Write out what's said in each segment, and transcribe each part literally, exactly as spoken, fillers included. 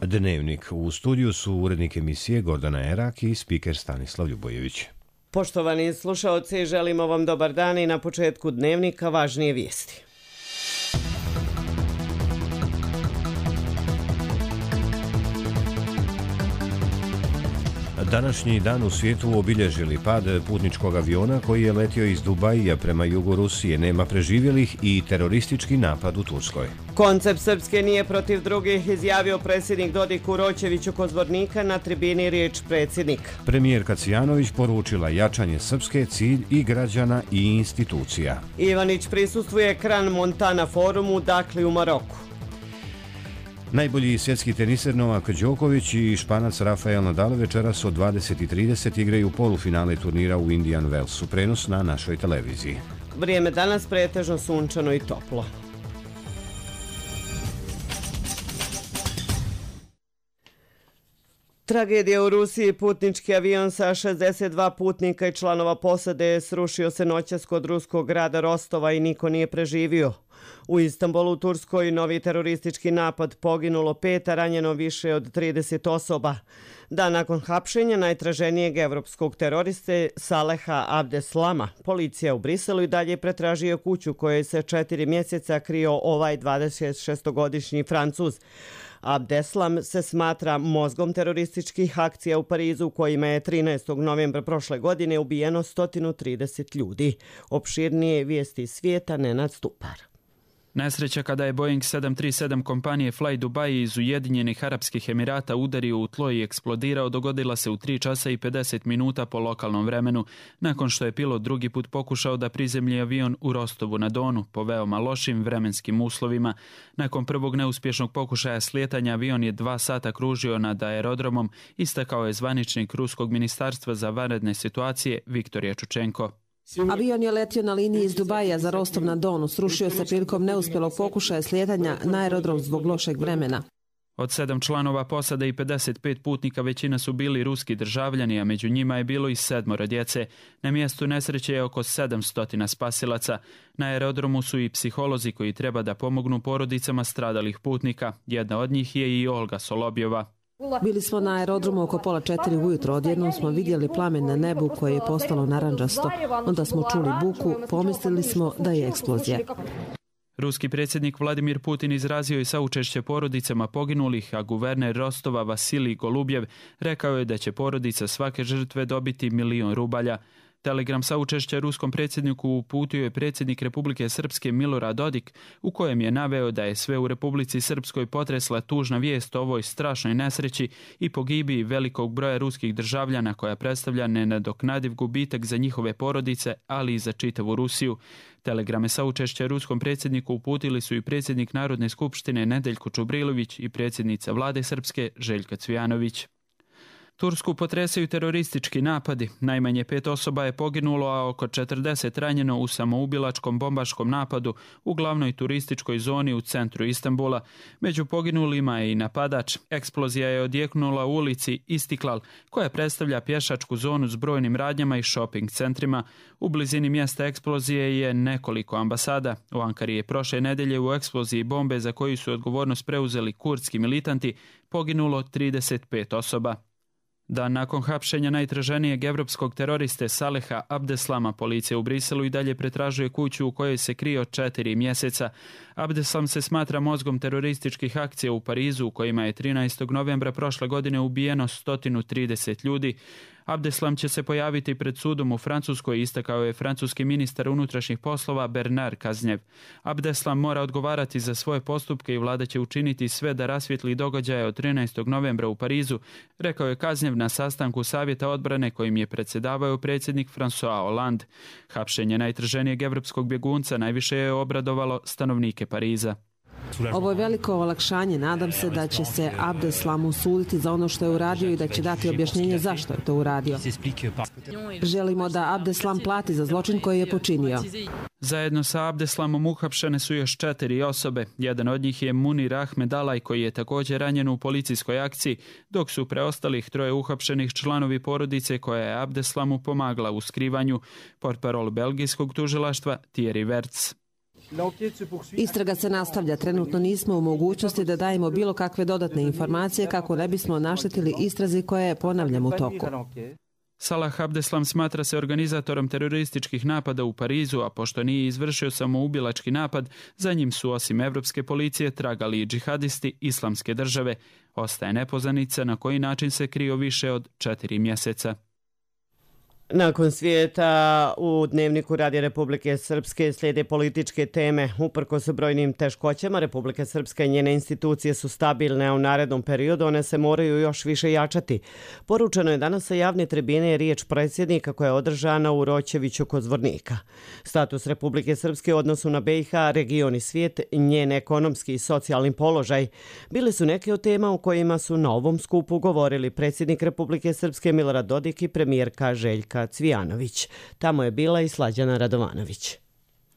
Dnevnik. U studiju su urednik emisije Gordana Erak i spiker Stanislav Ljubojević. Poštovani slušaoci, želimo vam dobar dan i na početku Dnevnika važnije vijesti. Današnji dan u svijetu obilježili pad putničkog aviona koji je letio iz Dubaija prema jugu Rusije, nema preživjelih i teroristički napad u Turskoj. Koncept Srpske nije protiv drugih, izjavio predsjednik Dodik Uročeviću kod Zvornika na tribini riječ predsjednik. Premijerka Cijanović poručila jačanje Srpske, cilj i građana i institucija. Ivanić prisustvuje Kran Montana forumu Dakli u Maroku. Najbolji svjetski teniser Novak Đoković i Španac Rafael Nadal večeras od dvadeset i trideset igraju polufinale turnira u Indian Wellsu. Prenos na našoj televiziji. Vrijeme danas pretežno sunčano i toplo. Tragedija u Rusiji. Putnički avion sa šezdeset dva putnika i članova posade srušio se noćas kod ruskog grada Rostova i niko nije preživio. U Istanbulu, u Turskoj, novi teroristički napad, poginulo pet, a ranjeno više od trideset osoba. Dan nakon hapšenja najtraženijeg evropskog teroriste Saleha Abdeslama, policija u Briselu i dalje pretražio kuću kojoj se četiri mjeseca krio ovaj dvadesetšestogodišnji Francuz. Abdeslam se smatra mozgom terorističkih akcija u Parizu, kojima je trinaestog novembra prošle godine ubijeno sto trideset ljudi. Opširnije vijesti svijeta, Nenad Stupar. Nesreća kada je Boeing sedam tri sedam kompanije Fly Dubai iz Ujedinjenih Arapskih Emirata udario u tlo i eksplodirao dogodila se u tri časa i pedeset minuta po lokalnom vremenu, nakon što je pilot drugi put pokušao da prizemlji avion u Rostovu na Donu po veoma lošim vremenskim uslovima. Nakon prvog neuspješnog pokušaja slijetanja avion je dva sata kružio nad aerodromom, istakao je zvaničnik Ruskog ministarstva za vanredne situacije Viktor Jačučenko. Avion je letio na liniji iz Dubaija za Rostov na Donu, srušio se prilikom neuspjelog pokušaja slijetanja na aerodrom zbog lošeg vremena. Od sedam članova posade i pedeset pet putnika većina su bili ruski državljani, a među njima je bilo i sedmoro djece. Na mjestu nesreće je oko sedamsto spasilaca. Na aerodromu su i psiholozi koji treba da pomognu porodicama stradalih putnika. Jedna od njih je i Olga Solobjeva. Bili smo na aerodromu oko pola četiri ujutro, odjednom smo vidjeli plamen na nebu koje je postalo naranđasto. Onda smo čuli buku, pomislili smo da je eksplozija. Ruski predsjednik Vladimir Putin izrazio je saučešće porodicama poginulih, a guverner Rostova Vasilij Golubjev rekao je da će porodica svake žrtve dobiti milion rubalja. Telegram saučešća ruskom predsjedniku uputio je predsjednik Republike Srpske Milorad Dodik, u kojem je naveo da je sve u Republici Srpskoj potresla tužna vijest o ovoj strašnoj nesreći i pogibiji velikog broja ruskih državljana koja predstavlja nenadoknadiv gubitak za njihove porodice, ali i za čitavu Rusiju. Telegrame saučešća ruskom predsjedniku uputili su i predsjednik Narodne skupštine Nedeljko Čubrilović i predsjednica vlade Srpske Željka Cvijanović. Tursku potresaju teroristički napadi. Najmanje pet osoba je poginulo, a oko četrdeset ranjeno u samoubilačkom bombaškom napadu u glavnoj turističkoj zoni u centru Istanbula. Među poginulima je i napadač. Eksplozija je odjeknula u ulici Istiklal, koja predstavlja pješačku zonu s brojnim radnjama i shopping centrima. U blizini mjesta eksplozije je nekoliko ambasada. U Ankari je prošle nedelje u eksploziji bombe za koju su odgovornost preuzeli kurdski militanti poginulo trideset pet osoba. Dan nakon hapšenja najtraženijeg evropskog teroriste Saleha Abdeslama, policija u Briselu i dalje pretražuje kuću u kojoj se krio četiri mjeseca. Abdeslam se smatra mozgom terorističkih akcija u Parizu, u kojima je trinaestog novembra prošle godine ubijeno sto trideset ljudi. Abdeslam će se pojaviti pred sudom u Francuskoj, istakao je francuski ministar unutrašnjih poslova Bernard Cazeneuve. Abdeslam mora odgovarati za svoje postupke i vlada će učiniti sve da rasvijetli događaje od trinaestog novembra u Parizu, rekao je Cazeneuve na sastanku Savjeta odbrane kojim je predsjedavao predsjednik François Hollande. Hapšenje najtraženijeg evropskog bjegunca najviše je obradovalo stanovnike Pariza. Ovo je veliko olakšanje. Nadam se da će se Abdeslamu suditi za ono što je uradio i da će dati objašnjenje zašto je to uradio. Želimo da Abdeslam plati za zločin koji je počinio. Zajedno sa Abdeslamom uhapšene su još četiri osobe. Jedan od njih je Munir Ahmed Alaj, koji je također ranjen u policijskoj akciji, dok su preostalih troje uhapšenih članovi porodice koja je Abdeslamu pomagala u skrivanju, portparol belgijskog tužilaštva Thierry Verts. Istraga se nastavlja. Trenutno nismo u mogućnosti da dajemo bilo kakve dodatne informacije kako ne bismo naštetili istrazi koja je, ponavljam, u toku. Salah Abdeslam smatra se organizatorom terorističkih napada u Parizu, a pošto nije izvršio samoubilački napad, za njim su osim evropske policije tragali i džihadisti Islamske države. Ostaje nepoznanica na koji način se krio više od četiri mjeseca. Nakon svijeta u Dnevniku Radija Republike Srpske slijede političke teme. Uprkos brojnim teškoćama, Republika Srpska i njene institucije su stabilne, a u narednom periodu one se moraju još više jačati. Poručeno je danas sa javne tribine riječ predsjednika koja je održana u Roćeviću kod Zvornika. Status Republike Srpske u odnosu na B i H, region i svijet, njen ekonomski i socijalni položaj bili su neke od tema u kojima su na ovom skupu govorili predsjednik Republike Srpske Milorad Dodik i premijerka Željka Cvijanović. Tamo je bila i Slađana Radovanović.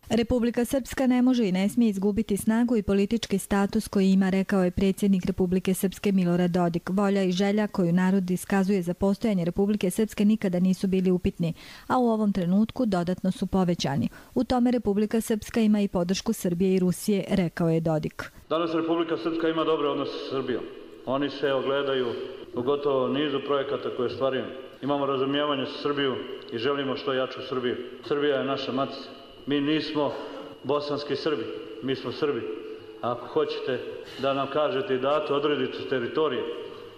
Republika Srpska ne može i ne smije izgubiti snagu i politički status koji ima, rekao je predsjednik Republike Srpske Milorad Dodik. Volja i želja koju narod iskazuje za postojanje Republike Srpske nikada nisu bili upitni, a u ovom trenutku dodatno su povećani. U tome Republika Srpska ima i podršku Srbije i Rusije, rekao je Dodik. Danas Republika Srpska ima dobre odnose sa Srbijom. Oni se ogledaju u gotovo nizu projekata koje stvarimo. Imamo razumijevanje sa Srbiju i želimo što jaču Srbiju. Srbija je naša matica. Mi nismo bosanski Srbi, mi smo Srbi. A ako hoćete da nam kažete i date odredicu teritorije,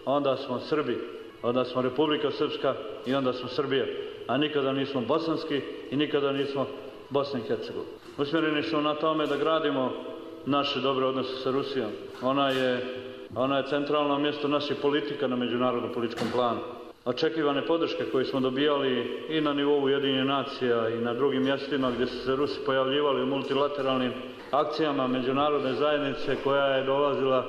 onda smo Srbi, onda smo Republika Srpska i onda smo Srbija. A nikada nismo bosanski i nikada nismo Bosna i Hercegovina. Usmjereni smo na tome da gradimo naše dobre odnose sa Rusijom. Ona je, ona je centralno mjesto naših politika na međunarodnom političkom planu. Očekivane podrške koje smo dobijali i na nivou Ujedinjenih nacija i na drugim mjestima gdje su se Rusi pojavljivali u multilateralnim akcijama međunarodne zajednice koja je dolazila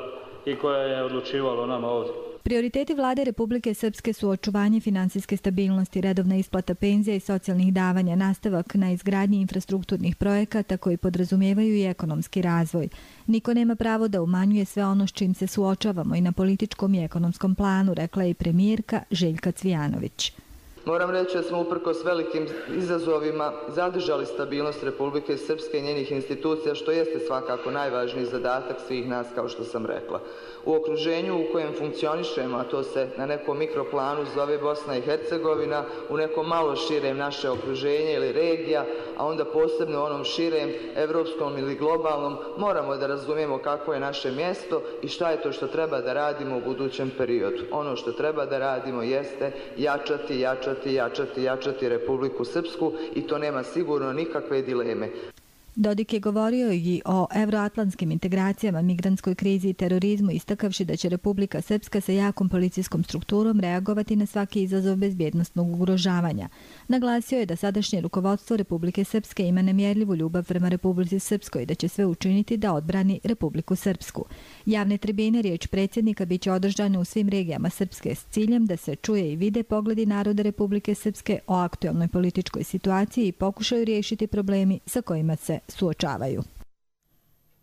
i koja je odlučivala o nama ovdje. Prioriteti vlade Republike Srpske su očuvanje finansijske stabilnosti, redovna isplata penzija i socijalnih davanja, nastavak na izgradnji infrastrukturnih projekata koji podrazumijevaju i ekonomski razvoj. Niko nema pravo da umanjuje sve ono s čim se suočavamo i na političkom i ekonomskom planu, rekla je i premijerka Željka Cvijanović. Moram reći da smo uprkos velikim izazovima zadržali stabilnost Republike Srpske i njenih institucija, što jeste svakako najvažniji zadatak svih nas, kao što sam rekla. U okruženju u kojem funkcionišemo, a to se na nekom mikroplanu zove Bosna i Hercegovina, u nekom malo širem naše okruženje ili regija, a onda posebno onom širem, evropskom ili globalnom, moramo da razumijemo kako je naše mjesto i šta je to što treba da radimo u budućem periodu. Ono što treba da radimo jeste jačati, jačati, jačati, jačati Republiku Srpsku i to nema sigurno nikakve dileme. Dodik je govorio i o evroatlantskim integracijama, migrantskoj krizi i terorizmu, istakavši da će Republika Srpska sa jakom policijskom strukturom reagovati na svaki izazov bezbjednostnog ugrožavanja. Naglasio je da sadašnje rukovodstvo Republike Srpske ima nemjerljivu ljubav prema Republici Srpskoj i da će sve učiniti da odbrani Republiku Srpsku. Javne tribine, riječ predsjednika, bit će održane u svim regijama Srpske s ciljem da se čuje i vide pogledi naroda Republike Srpske o aktualnoj političkoj situaciji i pokušaju riješiti problemi sa kojima se suočavaju.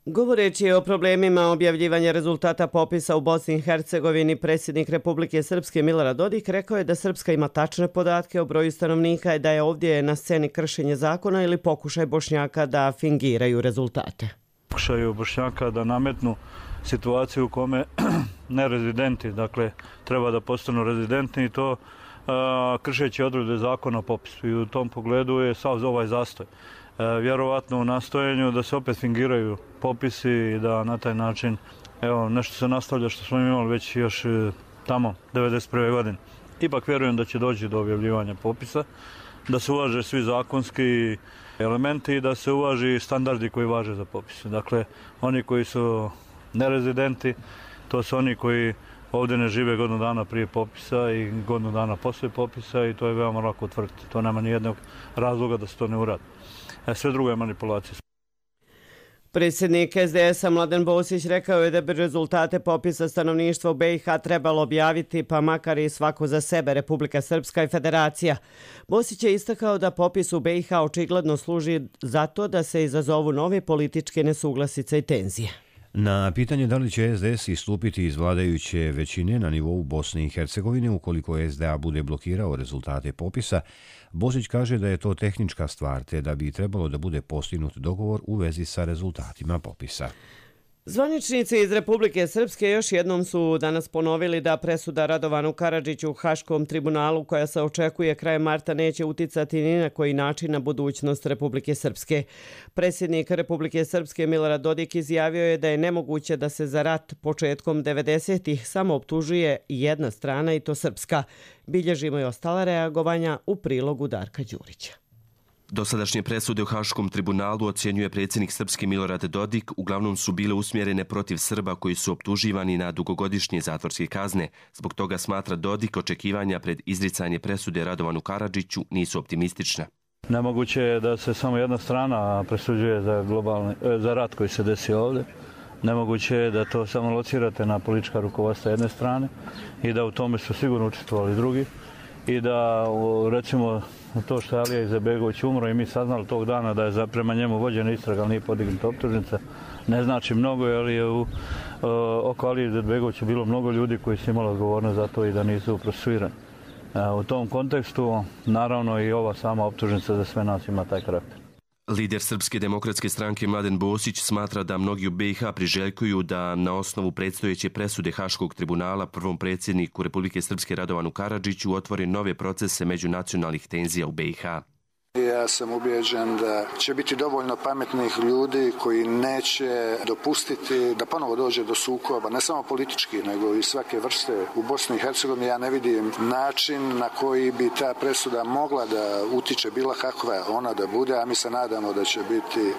Govoreći o problemima objavljivanja rezultata popisa u Bosni i Hercegovini, predsjednik Republike Srpske Milorad Dodik rekao je da Srpska ima tačne podatke o broju stanovnika i da je ovdje na sceni kršenje zakona ili pokušaj Bošnjaka da fingiraju rezultate. Pokušaju Bošnjaka da nametnu situaciju u kome nerezidenti, dakle, treba da postanu rezidentni i to a, kršeći odredbe zakona o popisu. I u tom pogledu je sav ovaj zastoj. E, vjerovatno u nastojenju da se opet fingiraju popisi i da na taj način evo, nešto se nastavlja što smo imali već još e, tamo devedeset prve godine. Ipak vjerujem da će doći do objavljivanja popisa, da se uvaže svi zakonski elementi i da se uvaži standardi koji važe za popis. Dakle, oni koji su nerezidenti, to su oni koji ovdje ne žive godinu dana prije popisa i godinu dana poslije popisa i to je veoma lako utvrditi. To nema nijednog razloga da se to ne uradi. E, sve drugo je manipulacija. Predsjednik S D S-a Mladen Bosić rekao je da bi rezultate popisa stanovništva u B i H trebalo objaviti, pa makar i svako za sebe, Republika Srpska i Federacija. Bosić je istakao da popis u B i H očigledno služi zato da se izazovu nove političke nesuglasice i tenzije. Na pitanje da li će es de es istupiti iz vladajuće većine na nivou Bosne i Hercegovine ukoliko es de a bude blokirao rezultate popisa, Božić kaže da je to tehnička stvar te da bi trebalo da bude postignut dogovor u vezi sa rezultatima popisa. Zvaničnici iz Republike Srpske još jednom su danas ponovili da presuda Radovanu Karadžiću u Haškom tribunalu koja se očekuje krajem marta neće uticati ni na koji način na budućnost Republike Srpske. Predsjednik Republike Srpske Milorad Dodik izjavio je da je nemoguće da se za rat početkom devedesetih samo optužuje jedna strana i to srpska. Bilježimo i ostala reagovanja u prilogu Darka Đurića. Dosadašnje presude u Haškom tribunalu ocjenjuje predsjednik Srpske Milorad Dodik, uglavnom su bile usmjerene protiv Srba koji su optuživani na dugogodišnje zatvorske kazne. Zbog toga smatra Dodik očekivanja pred izricanje presude Radovanu Karadžiću nisu optimistična. Nemoguće je da se samo jedna strana presuđuje za, globalni, za rat koji se desi ovdje. Nemoguće je da to samo locirate na politička rukovodstva jedne strane i da u tome su sigurno učestvovali drugi. I da, recimo, to što je Alija Izetbegović umro i mi saznali tog dana da je prema njemu vođena istraga, ali nije podignuta optužnica, ne znači mnogo, jer je u, oko Alije Izetbegovića bilo mnogo ljudi koji su imali odgovornost za to i da nisu procesuirani. U tom kontekstu, naravno, i ova sama optužnica za sve nas ima taj karakter. Lider Srpske demokratske stranke Mladen Bosić smatra da mnogi u be i ha priželjkuju da na osnovu predstojeće presude Haškog tribunala prvom predsjedniku Republike Srpske Radovanu Karadžiću otvore nove procese međunacionalnih tenzija u be i ha. Ja sam ubijeđen da će biti dovoljno pametnih ljudi koji neće dopustiti da ponovo dođe do sukoba, ne samo politički, nego i svake vrste u Bosni i Hercegovini. Ja ne vidim način na koji bi ta presuda mogla da utiče bila kakva ona da bude, a mi se nadamo da će biti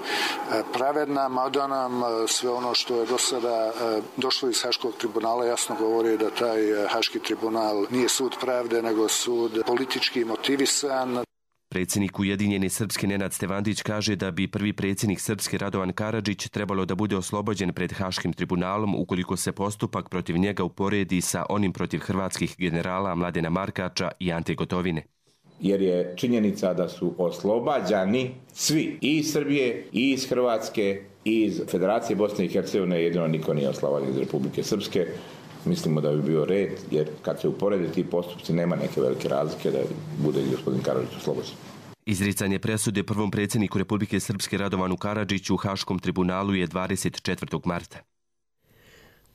pravedna, mada nam sve ono što je do sada došlo iz Haškog tribunala jasno govori da taj Haški tribunal nije sud pravde, nego sud politički motivisan. Predsjednik Ujedinjene Srpske Nenad Stevandić kaže da bi prvi predsjednik Srpske Radovan Karadžić trebalo da bude oslobođen pred Haškim tribunalom ukoliko se postupak protiv njega uporedi sa onim protiv hrvatskih generala Mladena Markača i Ante Gotovine. Jer je činjenica da su oslobađani svi i iz Srbije, i iz Hrvatske, i iz Federacije Bosne i Hercegovine, jedino niko nije oslobođen iz Republike Srpske. Mislimo da bi bio red, jer kad se uporede ti postupci nema neke velike razlike da bude i gospodin Karadžić oslobođen. Izricanje presude prvom predsjedniku Republike Srpske Radovanu Karadžiću u Haškom tribunalu je dvadeset četvrtog marta.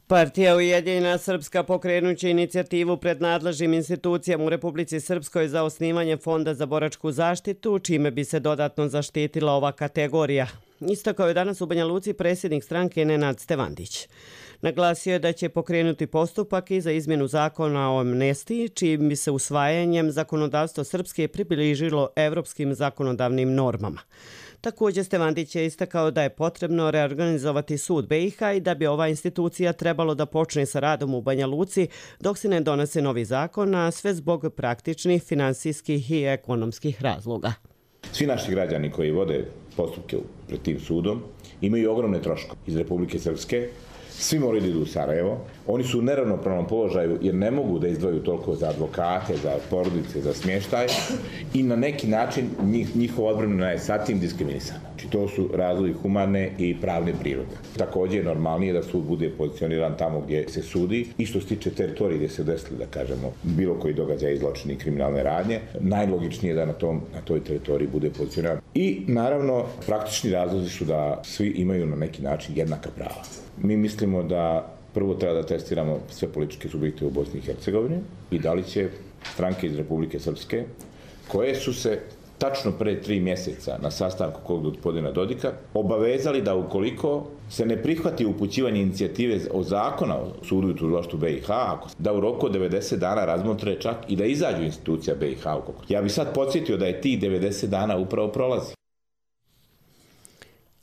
Partija Ujedinjena Srpska pokrenuće inicijativu pred nadležnim institucijama u Republici Srpskoj za osnivanje Fonda za boračku zaštitu, čime bi se dodatno zaštitila ova kategorija. Istakao je danas u Banja Luci predsjednik stranke Nenad Stevandić. Naglasio je da će pokrenuti postupak i za izmjenu zakona o amnestiji, čijim bi se usvajanjem zakonodavstvo Srpske približilo evropskim zakonodavnim normama. Također Stevandić je istakao da je potrebno reorganizovati sud be i ha i da bi ova institucija trebalo da počne sa radom u Banja Luci dok se ne donese novi zakon, a sve zbog praktičnih, finansijskih i ekonomskih razloga. Svi naši građani koji vode postupke pred tim sudom imaju ogromne troškove iz Republike Srpske. Svi moraju da idu u Sarajevo. Oni su u neravnopravnom položaju jer ne mogu da izdvaju toliko za advokate, za porodice, za smještaj i na neki način njih, njihova odbrana je sa tim diskriminisana. Znači to su razlozi humane i pravne prirode. Također je normalnije da sud bude pozicioniran tamo gdje se sudi i što se tiče teritorije gdje se desili, da kažemo, bilo koji događaj zločini i kriminalne radnje. Najlogičnije je da na, tom, na toj teritoriji bude pozicioniran. I naravno praktični razlozi su da svi imaju na neki način jednaka prava. Mi mislimo da prvo treba da testiramo sve političke subjekte u Bosni i Hercegovini i da li će stranke iz Republike Srpske, koje su se tačno pre tri mjeseca na sastanku kod gospodina Dodika obavezali da ukoliko se ne prihvati upućivanje inicijative o zakona o sudu i tužilaštvu be i ha, da u roku od devedeset dana razmotre čak i da izađu institucija be i ha. Ja bih sad podsjetio da je tih devedeset dana upravo prolazi.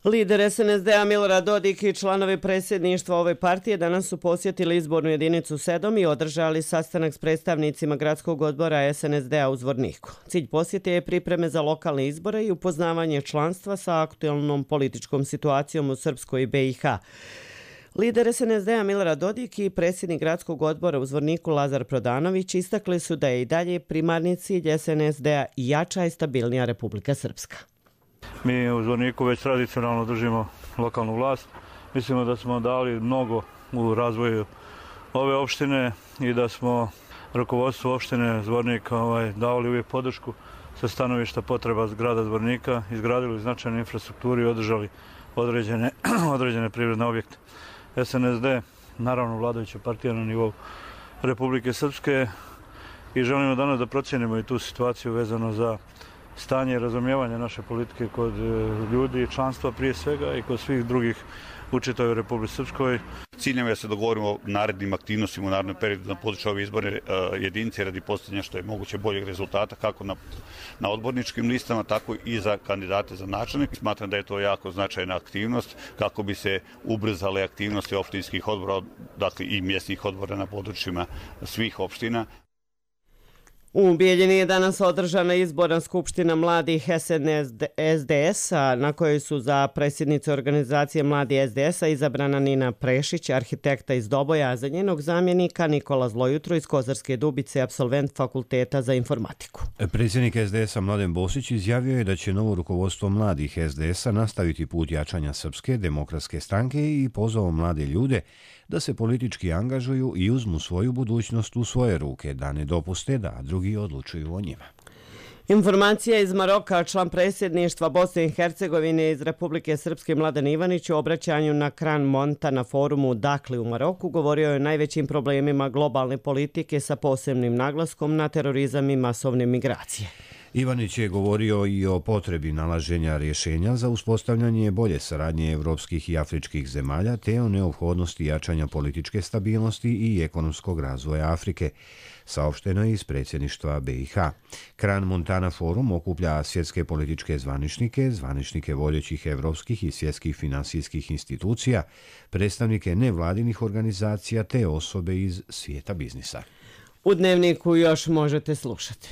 Lider es en es de a Milorad Dodik i članovi predsjedništva ove partije danas su posjetili izbornu jedinicu sedam i održali sastanak s predstavnicima gradskog odbora es en es de a u Zvorniku. Cilj posjete je pripreme za lokalne izbore i upoznavanje članstva sa aktualnom političkom situacijom u Srpskoj i be i ha. Lider es en es de a Milorad Dodik i predsjednik gradskog odbora u Zvorniku Lazar Prodanović istakli su da je i dalje primarni cilj es en es de a jača i stabilnija Republika Srpska. Mi u Zvorniku već tradicionalno držimo lokalnu vlast. Mislimo da smo dali mnogo u razvoju ove opštine i da smo rukovodstvu opštine Zvornika ovaj, davali uvijek podršku sa stanovišta potreba grada Zvornika, izgradili značajnu infrastrukturu i održali određene, određene privredne objekte. S N S D, naravno vladajuća partija na nivou Republike Srpske, i želimo danas da procijenimo i tu situaciju vezano za stanje i razumijevanje naše politike kod ljudi i članstva prije svega i kod svih drugih u čitavoj Republici Srpskoj. Cilj nam je da se dogovorimo o narednim aktivnostima u narednom periodu na području ove izborne jedinice radi postavljanja što je moguće boljeg rezultata kako na, na odborničkim listama, tako i za kandidate za načelnike. Smatram da je to jako značajna aktivnost kako bi se ubrzale aktivnosti opštinskih odbora, dakle i mjesnih odbora na područjima svih opština. U Bijeljini je danas održana izborna skupština mladih S N S D S-a na kojoj su za predsjednicu organizacije Mladi S D S-a izabrana Nina Prešić, arhitekta iz Doboja, a za njenog zamjenika Nikola Zlojutro iz Kozarske Dubice, apsolvent Fakulteta za informatiku. Predsjednik S D S-a Mladen Bosić izjavio je da će novo rukovodstvo mladih S D S-a nastaviti put jačanja Srpske demokratske stranke i pozvao mlade ljude da se politički angažuju i uzmu svoju budućnost u svoje ruke, da ne dopuste da drugi odlučuju o njima. Informacija iz Maroka, član predsjedništva Bosne i Hercegovine iz Republike Srpske Mladen Ivanić u obraćanju na Kran Monta na forumu Dakli u Maroku govorio je o najvećim problemima globalne politike sa posebnim naglaskom na terorizam i masovne migracije. Ivanić je govorio i o potrebi nalaženja rješenja za uspostavljanje bolje saradnje evropskih i afričkih zemalja te o neophodnosti jačanja političke stabilnosti i ekonomskog razvoja Afrike, saopšteno je iz predsjedništva B i H. Kran Montana forum okuplja svjetske političke zvaničnike, zvaničnike vodećih evropskih i svjetskih finansijskih institucija, predstavnike nevladinih organizacija te osobe iz svijeta biznisa. U Dnevniku još možete slušati.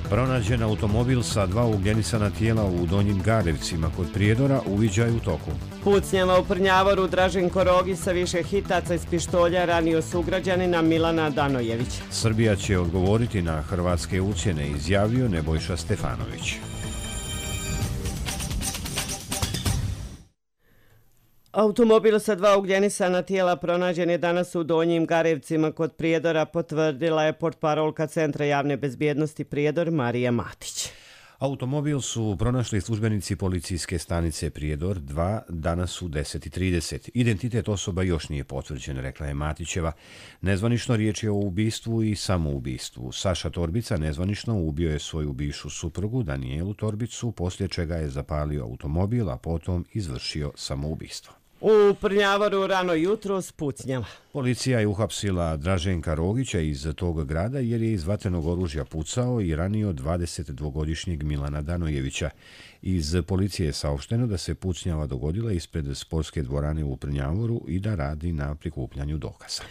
Pronađen automobil sa dva ugljenisana tijela u Donjim Garevcima kod Prijedora uviđaj u toku. Pucnjava u Prnjavoru, Draženko Rogi sa više hitaca iz pištolja ranio sugrađanina Milana Danojevića. Srbija će odgovoriti na hrvatske ucjene, izjavio Nebojša Stefanović. Automobil sa dva ugljenisana tijela pronađen je danas u Donjim Garevcima kod Prijedora, potvrdila je portparolka Centra javne bezbjednosti Prijedor Marija Matić. Automobil su pronašli službenici policijske stanice Prijedor dva danas u deset i trideset. Identitet osoba još nije potvrđen, rekla je Matićeva. Nezvanično riječ je o ubistvu i samoubistvu. Saša Torbica nezvanično ubio je svoju bivšu suprugu Danijelu Torbicu, poslije čega je zapalio automobil, a potom izvršio samoubistvo. U Prnjavoru rano jutro spucnjava. Policija je uhapsila Draženka Rogića iz tog grada jer je iz vatrenog oružja pucao i ranio dvadesetdvogodišnjeg Milana Danojevića. Iz policije je saopšteno da se pucnjava dogodila ispred sportske dvorane u Prnjavoru i da radi na prikupljanju dokaza.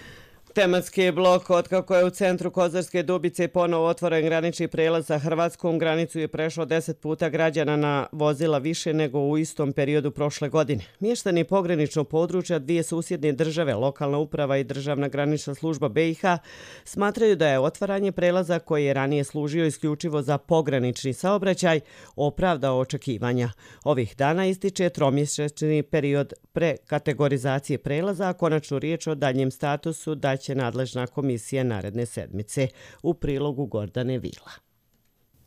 Tematski blok, otkako je u centru Kozarske Dubice ponovo otvoren granični prelaz sa Hrvatskom, granicu je prešlo deset puta građana na vozila više nego u istom periodu prošle godine. Mještani pograničnog područja dvije susjedne države, lokalna uprava i državna granična služba B i H, smatraju da je otvaranje prelaza koji je ranije služio isključivo za pogranični saobraćaj opravdao očekivanja. Ovih dana ističe tromjesečni period prekategorizacije prelaza, a konačnu riječ o daljem statusu da će nadležna komisija naredne sedmice. U prilogu Gordane Vila.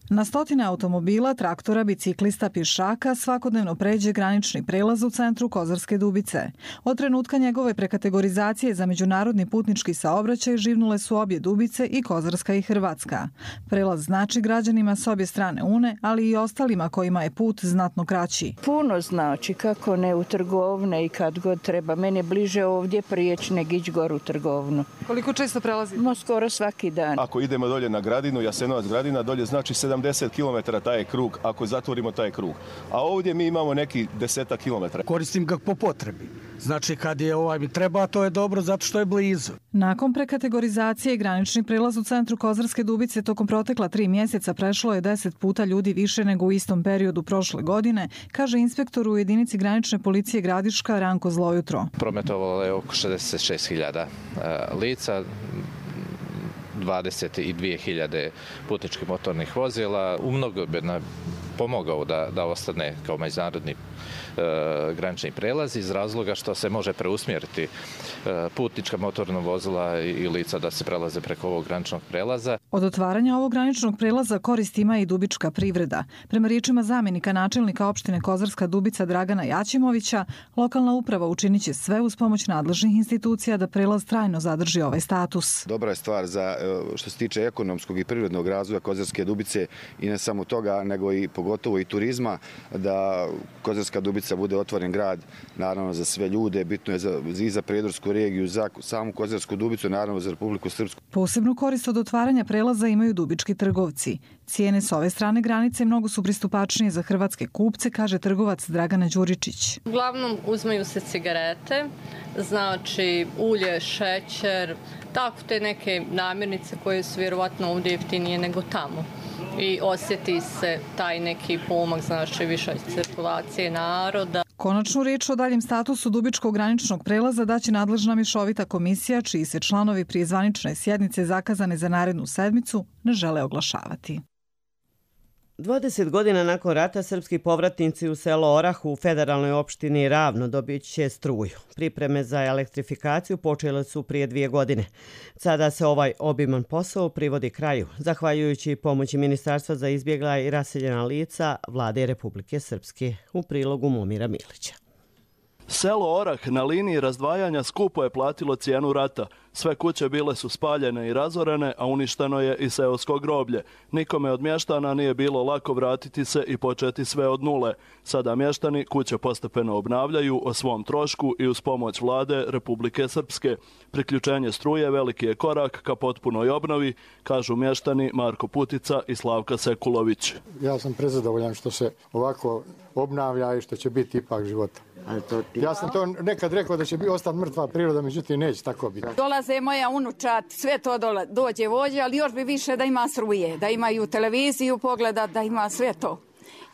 Na stotine automobila, traktora, biciklista, pješaka svakodnevno pređe granični prelaz u centru Kozarske Dubice. Od trenutka njegove prekategorizacije za međunarodni putnički saobraćaj živnule su obje Dubice, i Kozarska i Hrvatska. Prelaz znači građanima s obje strane Une, ali i ostalima kojima je put znatno kraći. Puno znači, kako ne u trgovne i kad god treba. Meni je bliže ovdje prijeći nego ići gore u trgovnu. Koliko često prelazite? No, skoro svaki dan. Ako idemo dolje na Gradinu, Jasenovac Gradina, dolje znači sedamdeset kilometara taj je krug, ako zatvorimo taj krug. A ovdje mi imamo neki deseta kilometara. Koristim ga po potrebi. Znači kad je ovaj mi treba, to je dobro zato što je blizu. Nakon prekategorizacije granični prelaz u centru Kozarske Dubice tokom protekla tri mjeseca prešlo je deset puta ljudi više nego u istom periodu prošle godine, kaže inspektor u jedinici granične policije Gradiška Ranko Zlojutro. Prometovalo je oko šezdeset šest hiljada lica. dvadeset dvije hiljade putničkih motornih vozila. U mnogo bi pomogao da, da ostane kao međunarodni e, granični prelaz iz razloga što se može preusmjeriti e, putnička motorna vozila i lica da se prelaze preko ovog graničnog prelaza. Od otvaranja ovog graničnog prelaza korist ima i dubička privreda. Prema riječima zamjenika načelnika opštine Kozarska Dubica Dragana Jaćimovića, lokalna uprava učinit će sve uz pomoć nadležnih institucija da prelaz trajno zadrži ovaj status. Dobra je stvar za što se tiče ekonomskog i privrednog razvoja Kozarske Dubice i ne samo toga, nego i pogotovo i turizma, da Kozarska Dubica bude otvoren grad, naravno za sve ljude, bitno je za, i za Prijedorsku regiju, za samu Kozarsku Dubicu, naravno za Republiku Srpsku. Posebnu korist od otvaranja prelaza imaju dubički trgovci. Cijene s ove strane granice mnogo su pristupačnije za hrvatske kupce, kaže trgovac Dragana Đuričić. Uglavnom uzmaju se cigarete, znači ulje, šećer, tako te neke namirnice koje su vjerovatno ovdje jeftinije nego tamo. I osjeti se taj neki pomak, znači više cirkulacije naroda. Konačnu riječ o daljem statusu dubičkog graničnog prelaza daće nadležna mješovita komisija, čiji se članovi prije zvanične sjednice zakazane za narednu sedmicu ne žele oglašavati. dvadeset godina nakon rata srpski povratnici u selo Orah u federalnoj opštini Ravno dobit će struju. Pripreme za elektrifikaciju počele su prije dvije godine. Sada se ovaj obiman posao privodi kraju, zahvaljujući pomoći Ministarstva za izbjegla i raseljena lica Vlade Republike Srpske. U prilogu Momira Milića. Selo Orah na liniji razdvajanja skupo je platilo cijenu rata. Sve kuće bile su spaljene i razorene, a uništeno je i seosko groblje. Nikome od mještana nije bilo lako vratiti se i početi sve od nule. Sada mještani kuće postepeno obnavljaju o svom trošku i uz pomoć Vlade Republike Srpske. Priključenje struje veliki je korak ka potpunoj obnovi, kažu mještani Marko Putica i Slavka Sekulović. Ja sam prezadovoljan što se ovako obnavlja i što će biti ipak života. Ja sam to nekad rekao da će biti ostati mrtva priroda, međutim neće tako biti. Dolaze moja unučat, sve to dola, dođe vođe, ali još bi više da ima struje, da imaju televiziju pogledat, da ima sve to.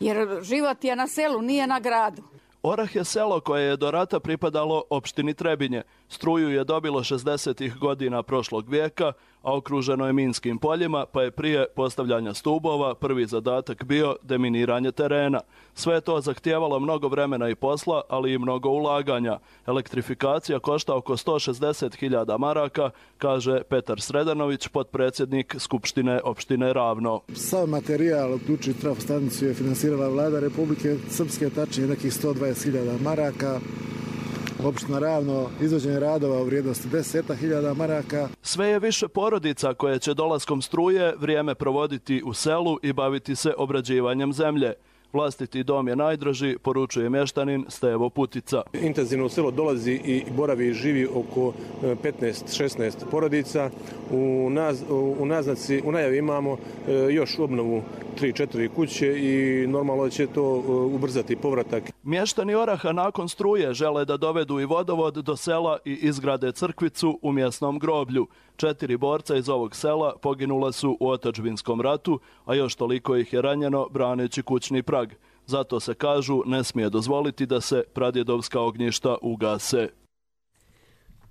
Jer život je na selu, nije na gradu. Orah je selo koje je do rata pripadalo opštini Trebinje. Struju je dobilo šezdesetih godina prošlog vijeka, a okruženo je minskim poljima, pa je prije postavljanja stubova prvi zadatak bio deminiranje terena. Sve je to zahtijevalo mnogo vremena i posla, ali i mnogo ulaganja. Elektrifikacija košta oko sto šezdeset hiljada maraka, kaže Petar Sredanović, potpredsjednik Skupštine opštine Ravno. Sav materijal, uključujući trafostanicu, je finansirala Vlada Republike Srpske, tačnije nekih sto dvadeset hiljada maraka. Opština Ravno, izvođenje radova u vrijednosti deset hiljada maraka. Sve je više porodica koje će dolaskom struje vrijeme provoditi u selu i baviti se obrađivanjem zemlje. Vlastiti dom je najdraži, poručuje mještanin Stevo Putica. Intenzivno u selo dolazi i boravi i živi oko petnaest šesnaest porodica. U, naz, u naznaci, u najavi imamo još obnovu tri četiri kuće i normalno će to ubrzati povratak. Mještani Oraha nakon struje žele da dovedu i vodovod do sela i izgrade crkvicu u mjesnom groblju. Četiri borca iz ovog sela poginula su u otadžbinskom ratu, a još toliko ih je ranjeno braneći kućni prag. Zato se, kažu, ne smije dozvoliti da se pradjedovska ognjišta ugase.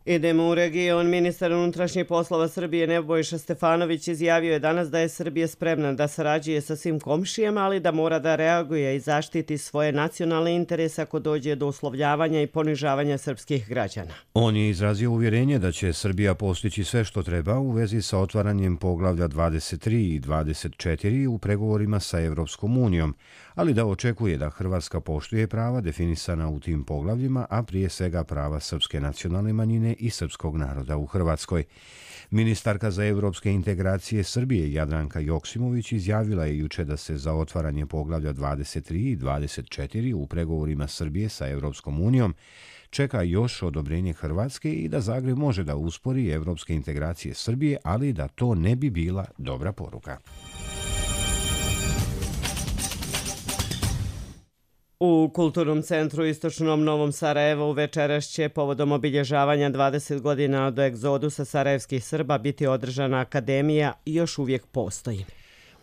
Idemo u region. Ministar unutrašnjih poslova Srbije Nebojša Stefanović izjavio je danas da je Srbija spremna da sarađuje sa svim komšijama, ali da mora da reaguje i zaštiti svoje nacionalne interese ako dođe do uslovljavanja i ponižavanja srpskih građana. On je izrazio uvjerenje da će Srbija postići sve što treba u vezi sa otvaranjem poglavlja dvadeset tri i dvadeset četiri u pregovorima sa Evropskom unijom, ali da očekuje da Hrvatska poštuje prava definisana u tim poglavljima, a prije svega prava srpske nacionalne manjine i srpskog naroda u Hrvatskoj. Ministarka za evropske integracije Srbije Jadranka Joksimović izjavila je juče da se za otvaranje poglavlja dvadeset tri i dvadeset četiri u pregovorima Srbije sa Evropskom unijom čeka još odobrenje Hrvatske i da Zagreb može da uspori evropske integracije Srbije, ali da to ne bi bila dobra poruka. U Kulturnom centru Istočnom Novom Sarajevu večeras će povodom obilježavanja dvadeset godina od egzodusa sarajevskih Srba biti održana akademija i još uvijek postoji.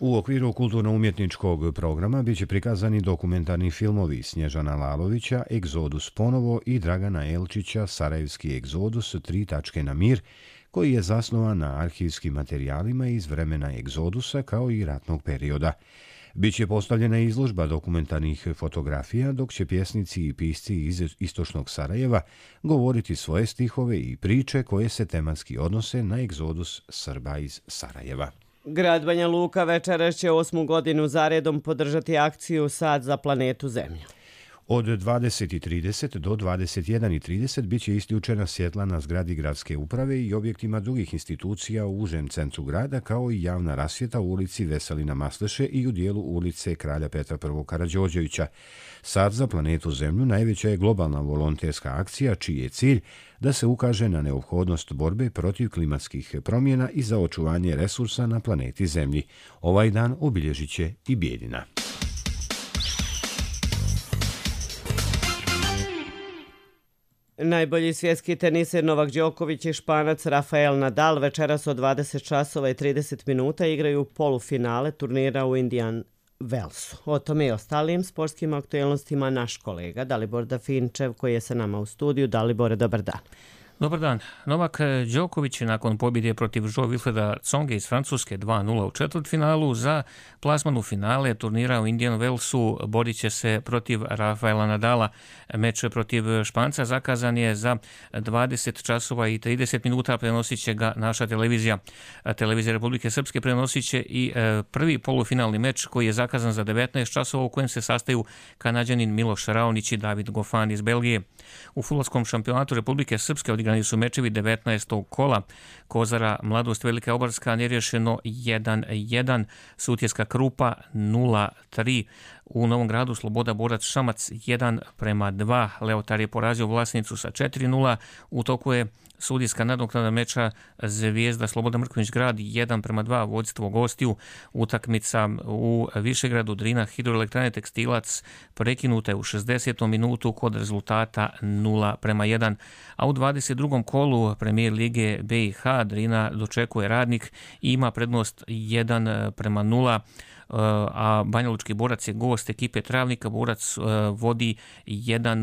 U okviru kulturno-umjetničkog programa biće prikazani dokumentarni filmovi Snježana Lalovića, Egzodus ponovo i Dragana Elčića, Sarajevski egzodus, tri tačke na mir, koji je zasnovan na arhivskim materijalima iz vremena egzodusa kao i ratnog perioda. Biće postavljena izložba dokumentarnih fotografija, dok će pjesnici i pisci iz istočnog Sarajeva govoriti svoje stihove i priče koje se tematski odnose na egzodus Srba iz Sarajeva. Grad Banja Luka večeras će osmu godinu zaredom podržati akciju Sad za planetu Zemlju. Od dvadeset i trideset do dvadeset jedan i trideset biće isključena svjetla na zgradi gradske uprave i objektima drugih institucija u užem centru grada, kao i javna rasvjeta u ulici Veselina Masleše i u dijelu ulice Kralja Petra I. Karađorđevića. Sad za planetu Zemlju najveća je globalna volonterska akcija čiji je cilj da se ukaže na neophodnost borbe protiv klimatskih promjena i za očuvanje resursa na planeti Zemlji. Ovaj dan obilježit će i Bijeljina. Najbolji svjetski teniser Novak Đoković i Španac Rafael Nadal večeras od dvadeset časova i trideset minuta igraju polufinale turnira u Indian Wellsu. O tome i ostalim sportskim aktualnostima naš kolega Dalibor Dafinčev koji je sa nama u studiju. Dalibore, dobar dan. Dobar dan. Novak Đoković nakon pobjede protiv Jo-Wilfreda Tsonge iz Francuske dva nula u četvrtfinalu za plasman u finale turnira u Indian Wellsu borit će se protiv Rafaela Nadala. Meč protiv Španca zakazan je za dvadeset časova i trideset minuta, prenosit će ga naša televizija. Televizija Republike Srpske prenosit će i prvi polufinalni meč koji je zakazan za devetnaest časova u kojem se sastaju Kanađanin Miloš Raonić i David Gofan iz Belgije. U fudbalskom šampionatu Republike Srpske odigrani su mečevi devetnaestog kola. Kozara Mladost Velika Obarska nerješeno jedan jedan, Sutjeska Krupa nula tri. U Novom Gradu Sloboda Borac Šamac jedan prema dva. Leotar je porazio Vlasnicu sa četiri nula. U toku je sudijska nadoknada meča Zvijezda Sloboda Mrkonjić Grad jedan prema dva, vodstvo gostiju. Utakmica u Višegradu Drina Hidroelektrane Tekstilac prekinuta je u šezdesetom minutu kod rezultata nula prema jedan. A u dvadeset drugom kolu Premijer Lige B i H Drina dočekuje Radnik i ima prednost jedan prema nula. A Banjalučki Borac je gost ekipe Travnika. Borac vodi jedan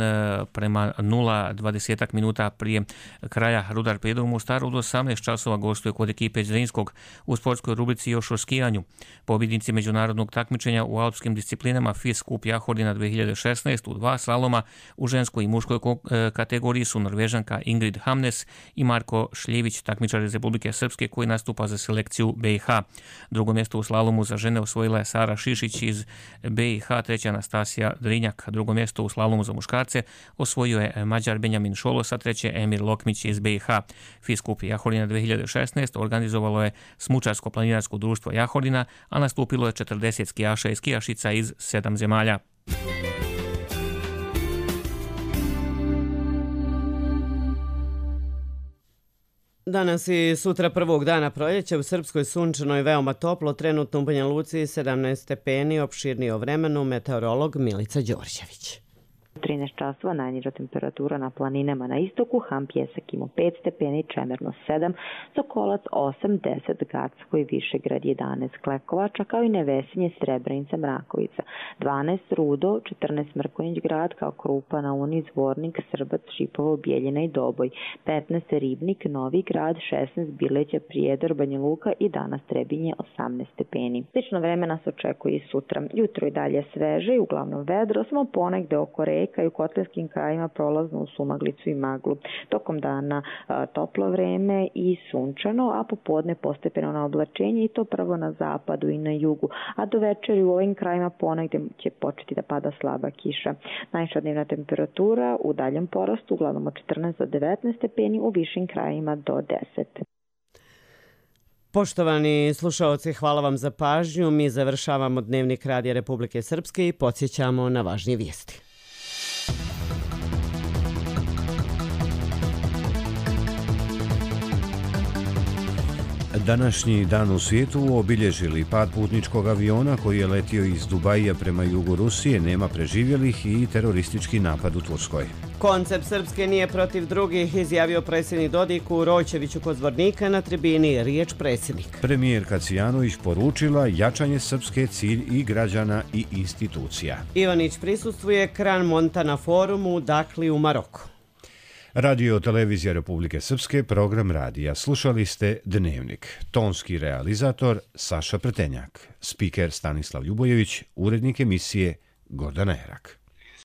prema nula dvadesetak minuta prije kraja. Rudar Pedro u Mostaru od osamnaest časova gostuje kod ekipe Zrinskog. U sportskoj rubrici još o skijanju. Pobjednici međunarodnog takmičenja u alpskim disciplinama F I S Kup Jahorina dve hiljade šesnaest u dva slaloma u ženskoj i muškoj kategoriji su Norvežanka Ingrid Hamnes i Marko Šljević, takmičar iz Republike Srpske koji nastupa za selekciju B i H. Drugo mjesto u slalomu za žene osvojila je Sara Šišić iz B i H, treća Anastasija Drinjak. Drugo mjesto u slalomu za muškarce osvojio je Mađar Benjamin Šolos, a treće Emir Lokmić iz B i H. F I S Kup Jahorina dve hiljade šesnaest organizovalo je Smučarsko-planinarsko društvo Jahorina, a nastupilo je četrdeset skijaša i skijašica iz sedam zemalja. Danas i sutra prvog dana proljeća u Srpskoj sunčano i veoma toplo, trenutno u Banja Luci sedamnaest stepeni, opširnije o vremenu, meteorolog Milica Đorđević. trinaest časova najniža temperatura na planinama na istoku, Ham Pjesak ima pet stepeni, Čemerno sedam, Sokolac osam, deset, Gacko i Višegrad jedanaest, Klekovača kao i Nevesinje, Srebrenica, Mrakovica dvanaest, Rudo, četrnaest, Mrkonjić Grad kao Krupa, Nauni, Zvornik, Srbac, Šipovo, Bijeljina i Doboj, petnaest, Ribnik, Novi Grad, šesnaest, Bileća, Prijedor, Banja Luka i danas Trebinje osamnaest stepeni. Slično vreme nas očekuje i sutra. Jutro i dalje sveže i uglavnom vedro, samo ponegde oko reka i u kotlinskim krajima prolazno u sumaglicu i maglu. Tokom dana a, toplo vreme i sunčano, a popodne postepeno na oblačenje i to prvo na zapadu i na jugu, a do večeri u ovim krajima ponegde će početi da pada slaba kiša. Najviša dnevna temperatura u daljem porastu, uglavnom od četrnaest do devetnaest stepeni, u višim krajima do deset. Poštovani slušaoci, hvala vam za pažnju. Mi završavamo Dnevnik Radija Republike Srpske i podsjećamo na važnije vijesti. Današnji dan u svijetu obilježili pad putničkog aviona koji je letio iz Dubaija prema jugu Rusije, nema preživjelih i teroristički napad u Turskoj. Koncept Srpske nije protiv drugih, izjavio predsjednik Dodik u Rojčeviću kod Zvornika na tribini riječ predsjednik. Premijer Kacijanović poručila jačanje Srpske cilj i građana i institucija. Ivanić prisustvuje Kran Montana forumu u Dakli u Maroku. Radio Televizija Republike Srpske, program radija. Slušali ste Dnevnik. Tonski realizator Saša Pretenjak. Spiker Stanislav Ljubojević, urednik emisije Gordana Herak.